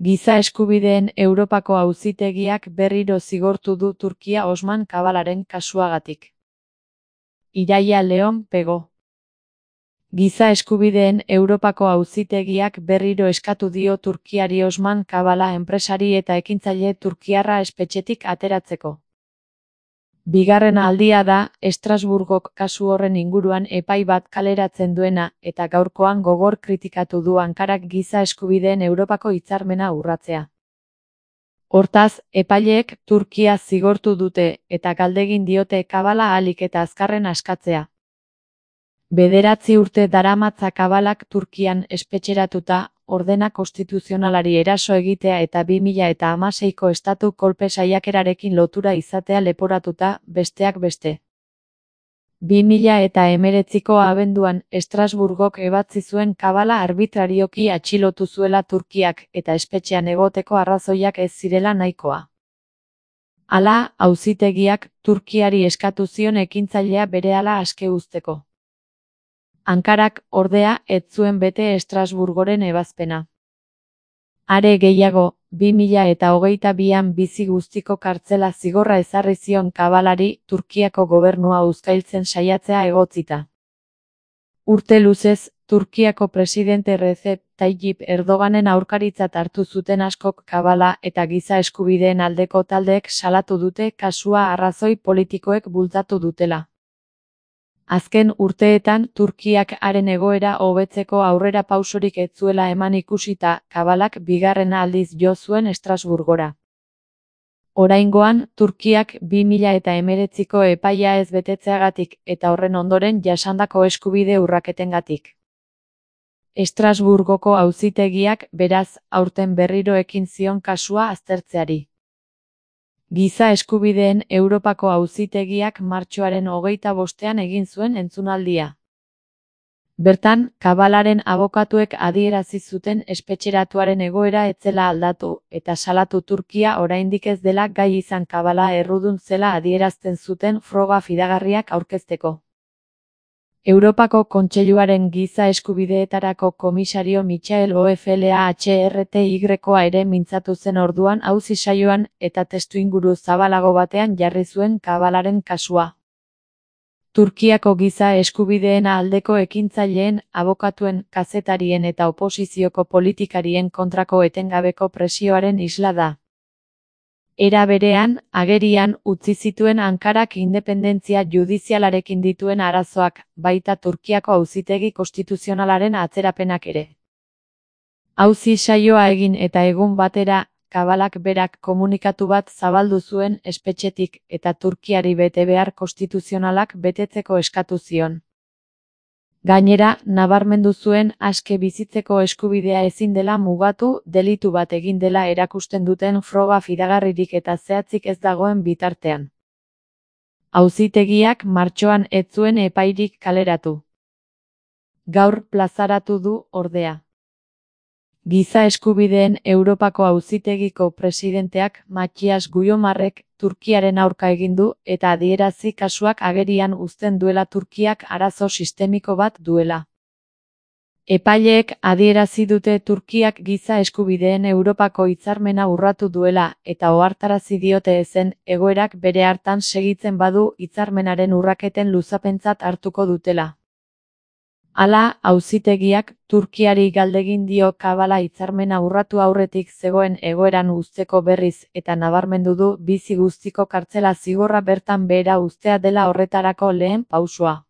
Giza eskubideen Europako Auzitegiak berriro zigortu du Turkia Osman Kavalaren kasuagatik. Iraia Leon Pego. Giza eskubideen Europako Auzitegiak berriro eskatu dio Turkiari Osman Kavala enpresari eta ekintzaile turkiarra espetxetik ateratzeko. Bigarren aldia da Estrasburgok kasu horren inguruan epai bat kaleratzen duena eta gaurkoan gogor kritikatu du Ankarak giza eskubideen Europako hitzarmena urratzea. Hortaz, epaileek Turkia zigortu dute eta galdegin diote Kavala ahalik eta azkarren askatzea. 9 urte daramatza Kavalak Turkian espetxeratuta, ordena konstituzionalari eraso egitea eta 2016ko estatu kolpe saiakerarekin lotura izatea leporatuta, besteak beste. 2019ko abenduan Estrasburgok ebatzi zuen Kavala arbitrarioki atxilotu zuela Turkiak eta espetxean egoteko arrazoiak ez zirela nahikoa. Hala, auzitegiak Turkiari eskatu zion ekintzailea berehala aske uzteko. Ankarak, ordea, ez zuen bete Estrasburgoren ebazpena. Are gehiago, 2022an bizi guztiko kartzela zigorra ezarri zion Kavalari Turkiako gobernua uzkailtzen saiatzea egotzita. Urte luzez, Turkiako presidente Recep Tayyip Erdoganen aurkaritzat hartu zuten askok Kavala eta giza eskubideen aldeko taldeek salatu dute kasua arrazoi politikoek bultzatu dutela. Azken urteetan Turkiak haren egoera hobetzeko aurrera pausorik ez zuela eman ikusita, Kavalak bigarren aldiz jo zuen Estrasburgora. Oraingoan, Turkiak 2019ko epaia ez betetzeagatik eta horren ondoren jasandako eskubide urraketengatik. Estrasburgoko auzitegiak, beraz, aurten berriro ekin zion kasua aztertzeari. Giza eskubideen Europako Auzitegiak martxoaren 25ean egin zuen entzunaldia. Bertan, Kavalaren abokatuek adierazi zuten espetxeratuaren egoera ez zela aldatu eta salatu Turkia oraindik ez dela gai izan Kavala errudun zela adierazten zuten froga fidagarriak aurkezteko. Europako Kontseiluaren giza eskubideetarako komisario Michael Oflahtrtya ere mintzatu zen orduan auzi saioan eta testuinguru zabalago batean jarri zuen Kavalaren kasua. Turkiako giza eskubideen aldeko ekintzaileen, abokatuen, kazetarien eta oposizioko politikarien kontrako etengabeko presioaren isla da. Era berean, agerian utzi zituen Ankarak independentzia judizialarekin dituen arazoak, baita Turkiako auzitegi konstituzionalaren atzerapenak ere. Auzi saioa egin eta egun batera, Kavalak berak komunikatu bat zabaldu zuen espetxetik eta Turkiari betebehar konstituzionalak betetzeko eskatu zion. Gainera, nabarmendu zuen aske bizitzeko eskubidea ezin dela mugatu, delitu bat egin dela erakusten duten froga fidagarririk eta zehatzik ez dagoen bitartean. Auzitegiak martxoan ez zuen epairik kaleratu. Gaur plazaratu du, ordea. Giza eskubideen Europako Auzitegiko presidenteak Mathias Guyomarrek Turkiaren aurka egin du eta adierazi kasuak agerian uzten duela Turkiak arazo sistemiko bat duela. Epaileek adierazi dute Turkiak giza eskubideen Europako hitzarmena urratu duela eta ohartarazi diote ezen egoerak bere hartan segitzen badu hitzarmenaren urraketen luzapentzat hartuko dutela. Hala, auzitegiak Turkiari galdegin dio Kavala hitzarmena urratu aurretik zegoen egoeran uzteko berriz eta nabarmendu du bizi guztiko kartzela zigorra bertan behera uztea dela horretarako lehen pausua.